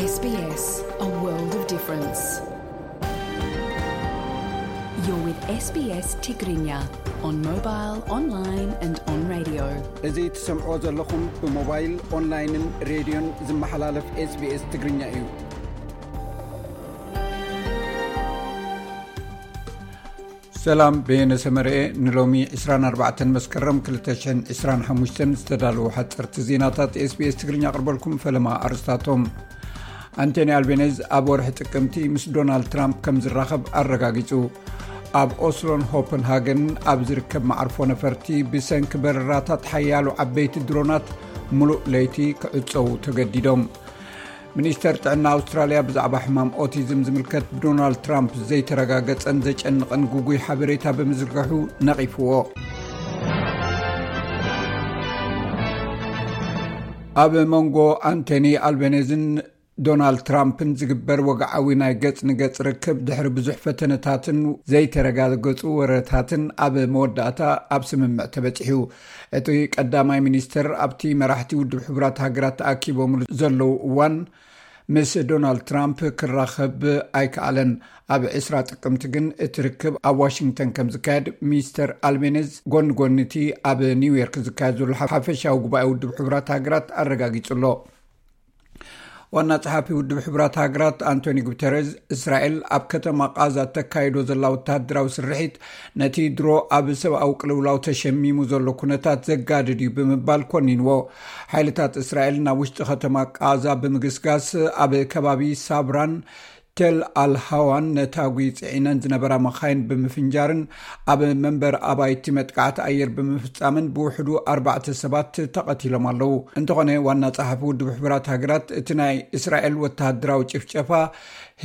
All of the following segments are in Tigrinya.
S B S, a world of difference. You're with S B S Tigrinya on mobile, online and on radio. እዚ ትሰምዕዎ ዘለኹም ብሞባይል፣ ኦንላይንን ሬድዮን ዝመሓላለፍ SBS ትግርኛ እዩ። ሰላም፣ በየነ ሰመርኤ። ንሎሚ ዕስራን ኣርባዕተን መስከረም ክልተ ሽሕን ዕስራን ሓሙሽተን ዝተዳለዉ ሓፀርቲ ዜናታት SBS ትግርኛ ኣቕርበልኩም። ፈለማ ኣርስታቶም። ኣንቶኒ ኣልቤኔዝ ኣብ ወርሒ ጥቅምቲ ምስ ዶናልድ ትራምፕ ከም ዝራኸብ ኣረጋጊጹ። ኣብ ኦስሎን ሆፐንሃገን ኣብ ዝርከብ መዓርፎ ነፈርቲ ብሰንኪ በረራታት ሓያሎ ዓበይቲ ድሮናት ምሉእ ለይቲ ክዕጸዉ ተገዲዶም። ሚኒስተር ጥዕና ኣውስትራልያ ብዛዕባ ሕማም ኦቲዝም ዝምልከት ብዶናልድ ትራምፕ ዘይተረጋገጸን ዘጨንቕን ግጉይ ሓበሬታ ብምዝርግሑ ነቒፍዎ። ኣብ መንጎ ኣንቶኒ ኣልቤኔዝን ዶናልድ ትራምፕን ዝግበር ወግዓዊ ናይ ገጽ ንገጽ ርክብ ድሕሪ ብዙሕ ፈተነታትን ዘይተረጋገጹ ወረታትን ኣብ መወዳእታ ኣብ ስምምዕ ተበጺሑ። እቲ ቀዳማይ ሚኒስተር ኣብቲ መራሕቲ ውድብ ሕቡራት ሃገራት ተኣኪቦምሉ ዘለዉ እዋን ምስ ዶናልድ ትራምፕ ክራኸብ ኣይከኣለን። ኣብ ዕስራ ጥቅምቲ ግን እቲ ርክብ ኣብ ዋሽንግተን ከም ዝካየድ ሚስተር ኣልቤኔዝ ጎኒ ጎኒ እቲ ኣብ ኒውዮርክ ዝካየድ ዘሎ ሓፈሻዊ ጉባኤ ውድብ ሕቡራት ሃገራት ኣረጋጊጹ ኣሎ። ዋና ጸሓፊ ውድብ ሕቡራት ሃገራት ኣንቶኒ ጉተረዝ፣ እስራኤል ኣብ ከተማ ቃዛ ተካይዶ ዘላ ወተሃደራዊ ስርሒት ነቲ ድሮ ኣብ ሰብኣዊ ቅልውላው ተሸሚሙ ዘሎ ኩነታት ዘጋድድ እዩ ብምባል ኮኒንዎ። ሓይልታት እስራኤል ናብ ውሽጢ ከተማ ቃዛ ብምግስጋስ ኣብ ከባቢ ሳብራን ቴል ኣልሃዋን ነታጒ ጽዒነን ዝነበራ መኻይን ብምፍንጃርን ኣብ መንበር ኣባይቲ መጥቃዕቲ ኣየር ብምፍጻምን ብውሕዱ ኣርባዕተ ሰባት ተቐቲሎም ኣለዉ። እንተኾነ ዋና ጸሓፊ ውድብ ሕቡራት ሃገራት እቲ ናይ እስራኤል ወተሃደራዊ ጭፍጨፋ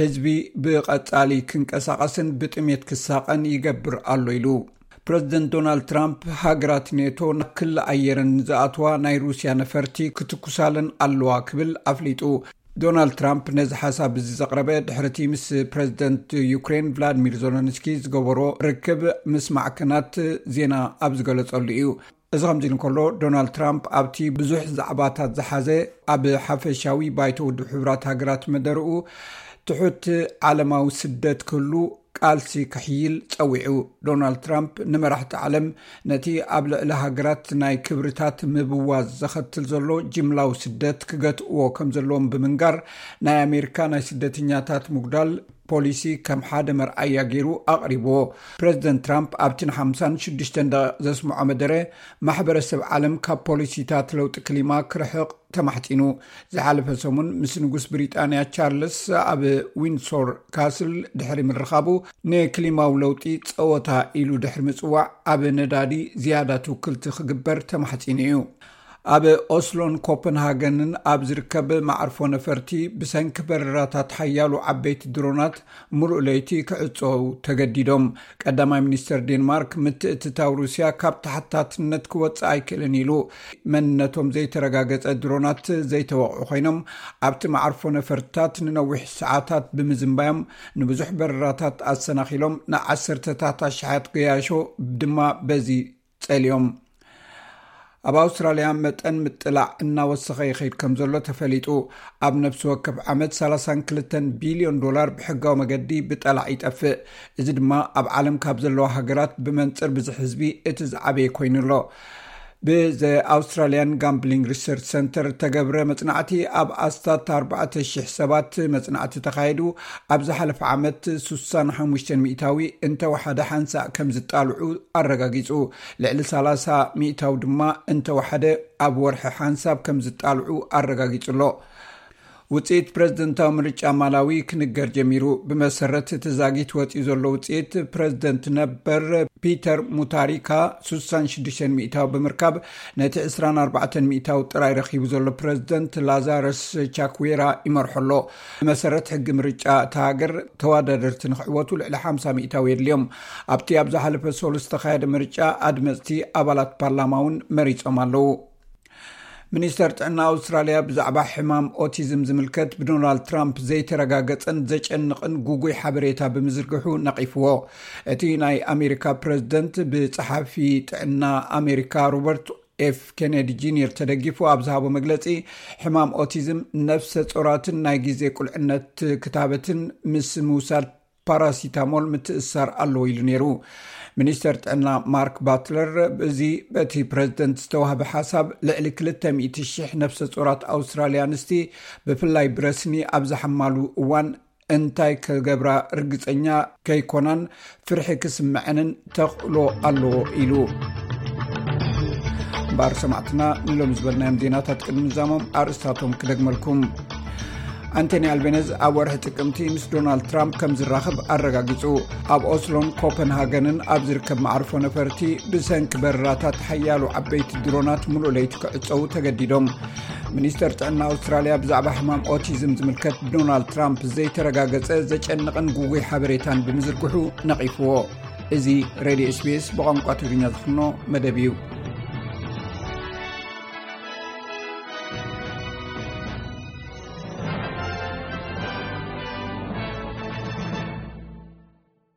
ህዝቢ ብቐጻሊ ክንቀሳቐስን ብጥሜት ክሳቐን ይገብር ኣሎ ኢሉ። ፕረዚደንት ዶናልድ ትራምፕ ሃገራት ኔቶ ናብ ክሊ ኣየረን ንዝኣትዋ ናይ ሩስያ ነፈርቲ ክትኩሳለን ኣለዋ ክብል ኣፍሊጡ። ዶናልድ ትራምፕ ነዚ ሓሳብ እዚ ዘቕረበ ድሕሪቲ ምስ ፕረዚደንት ዩክሬን ቭላድሚር ዞሎንስኪ ዝገበሮ ርክብ ምስ ማዕከናት ዜና ኣብ ዝገለጸሉ እዩ። እዚ ከምዚ ኢሉ እንከሎ፣ ዶናልድ ትራምፕ ኣብቲ ብዙሕ ዛዕባታት ዝሓዘ ኣብ ሓፈሻዊ ባይቶ ውድብ ሕቡራት ሃገራት መደርኡ ትሑት ዓለማዊ ስደት ክህሉ ቃልሲ ክሕይል ጸዊዑ። ዶናልድ ትራምፕ ንመራሕቲ ዓለም ነቲ ኣብ ልዕሊ ሃገራት ናይ ክብርታት ምብዋዝ ዘኸትል ዘሎ ጅምላዊ ስደት ክገትእዎ ከም ዘለዎም ብምንጋር፣ ናይ ኣሜሪካ ናይ ስደተኛታት ምጉዳል ፖሊሲ ከም ሓደ መርኣያ ገይሩ ኣቕሪብዎ። ፕረዚደንት ትራምፕ ኣብቲ ንሓምሳን ሽዱሽተን ደቂቕ ዘስምዖ መደረ፣ ማሕበረሰብ ዓለም ካብ ፖሊሲታት ለውጢ ክሊማ ክርሕቕ ተማሕጺኑ። ዝሓለፈ ሰሙን ምስ ንጉስ ብሪጣንያ ቻርልስ ኣብ ዊንሶር ካስል ድሕሪ ምርኻቡ፣ ንክሊማዊ ለውጢ ጸወታ ኢሉ ድሕሪ ምጽዋዕ፣ ኣብ ነዳዲ ዝያዳ ትውክልቲ ክግበር ተማሕጺኑ እዩ። ኣብ ኦስሎን ኮፐንሃገንን ኣብ ዝርከብ መዓርፎ ነፈርቲ ብሰንኪ በረራታት ሓያሎ ዓበይቲ ድሮናት ምሉእ ለይቲ ክዕጸዉ ተገዲዶም። ቀዳማይ ሚኒስተር ዴንማርክ፣ ምትእትታው ሩስያ ካብ ተሓታትነት ክወጽእ ኣይክእልን ኢሉ። መንነቶም ዘይተረጋገጸ ድሮናት ዘይተወቕዑ ኮይኖም፣ ኣብቲ መዓርፎ ነፈርትታት ንነዊሕ ሰዓታት ብምዝንባዮም፣ ንብዙሕ በረራታት ኣሰናኺሎም፣ ንዓሰርተታት ኣሽሓት ገያሾ ድማ በዚ ጸልዮም። ኣብ ኣውስትራልያ መጠን ምጥላዕ እናወሰኸ ይኸይድ ከም ዘሎ ተፈሊጡ። ኣብ ነፍሲ ወከፍ ዓመት ሰላሳን ክልተን ቢልዮን ዶላር ብሕጋዊ መገዲ ብጠላዕ ይጠፍእ። እዚ ድማ ኣብ ዓለም ካብ ዘለዋ ሃገራት ብመንጽር ብዝሒ ህዝቢ እቲ ዝዓበየ ኮይኑ ኣሎ። ብዘ ኣውስትራልያን ጋምብሊንግ ሪሰርች ሰንተር እተገብረ መጽናዕቲ፣ ኣብ ኣስታት ኣርባዕተ ሽሕ ሰባት መጽናዕቲ ተኻየዱ። ኣብ ዝሓለፈ ዓመት ሱሳን ሓሙሽተን ሚእታዊ እንተወሓደ ሓንሳእ ከም ዝጣልዑ ኣረጋጊጹ። ልዕሊ ሰላሳ ሚእታዊ ድማ እንተወሓደ ኣብ ወርሒ ሓንሳብ ከም ዝጣልዑ ኣረጋጊጹ ኣሎ። ውጽኢት ፕረዚደንታዊ ምርጫ ማላዊ ክንገር ጀሚሩ። ብመሰረት እቲ ዛጊት ወጺኡ ዘሎ ውጽኢት፣ ፕረዚደንት ነበር ፒተር ሙታሪካ ሱሳን ሽዱሽተን ሚእታዊ ብምርካብ፣ ነቲ ዕስራን ኣርባዕተን ሚእታዊ ጥራይ ረኺቡ ዘሎ ፕረዚደንት ላዛረስ ቻክዌራ ይመርሖ ኣሎ። ብመሰረት ሕጊ ምርጫ እታ ሃገር፣ ተወዳደርቲ ንክዕወቱ ልዕሊ ሓምሳ ሚእታዊ የድልዮም። ኣብቲ ኣብ ዝሓለፈ ሰሉስ ዝተኻየደ ምርጫ፣ ኣድመጽቲ ኣባላት ፓርላማ እውን መሪጾም ኣለዉ። ሚኒስተር ጥዕና ኣውስትራልያ ብዛዕባ ሕማም ኦቲዝም ዝምልከት ብዶናልድ ትራምፕ ዘይተረጋገጸን ዘጨንቕን ግጉይ ሓበሬታ ብምዝርግሑ ነቒፍዎ። እቲ ናይ ኣሜሪካ ፕረዚደንት ብጸሓፊ ጥዕና ኣሜሪካ ሮበርት ኤፍ ኬኔዲ ጁኒየር ተደጊፉ ኣብ ዝሃቦ መግለጺ፣ ሕማም ኦቲዝም ነፍሰ ጾራትን ናይ ግዜ ቁልዕነት ክታበትን ምስ ምውሳድ ፓራሲታሞል ምትእሳር ኣለዎ ኢሉ ነይሩ። ሚኒስተር ጥዕና ማርክ ባትለር፣ እዚ በቲ ፕረዚደንት ዝተዋህበ ሓሳብ፣ ልዕሊ ክልተ ሚእቲ ሽሕ ነፍሰ ጾራት ኣውስትራልያ ኣንስቲ፣ ብፍላይ ብረስኒ ኣብ ዝሓማሉ እዋን እንታይ ክገብራ ርግጸኛ ከይኮናን ፍርሒ ክስምዐንን ተኽእሎ ኣለዎ ኢሉ። እምበኣር ሰማዕትና፣ ንሎሚ ዝበልናዮም ዜናታት ቅድሚ ምዛሞም ኣርእስታቶም ክደግመልኩም። ኣንቶኒ ኣልቤነዝ ኣብ ወርሒ ጥቅምቲ ምስ ዶናልድ ትራምፕ ከም ዝራኸብ ኣረጋጊጹ። ኣብ ኦስሎን ኮፐንሃገንን ኣብ ዝርከብ መዓርፎ ነፈርቲ ብሰንኪ በረራታት ሓያሎ ዓበይቲ ድሮናት ሙሉእ ለይቲ ክዕጸዉ ተገዲዶም። ሚኒስተር ጥዕና ኣውስትራልያ ብዛዕባ ሕማም ኦቲዝም ዝምልከት ብዶናልድ ትራምፕ ዘይተረጋገጸ ዘጨንቕን ጉጉይ ሓበሬታን ብምዝርግሑ ነቒፍዎ። እዚ ሬድዮ ኤስቢኤስ ብቋንቋ ትግርኛ ዝፍኖ መደብ እዩ።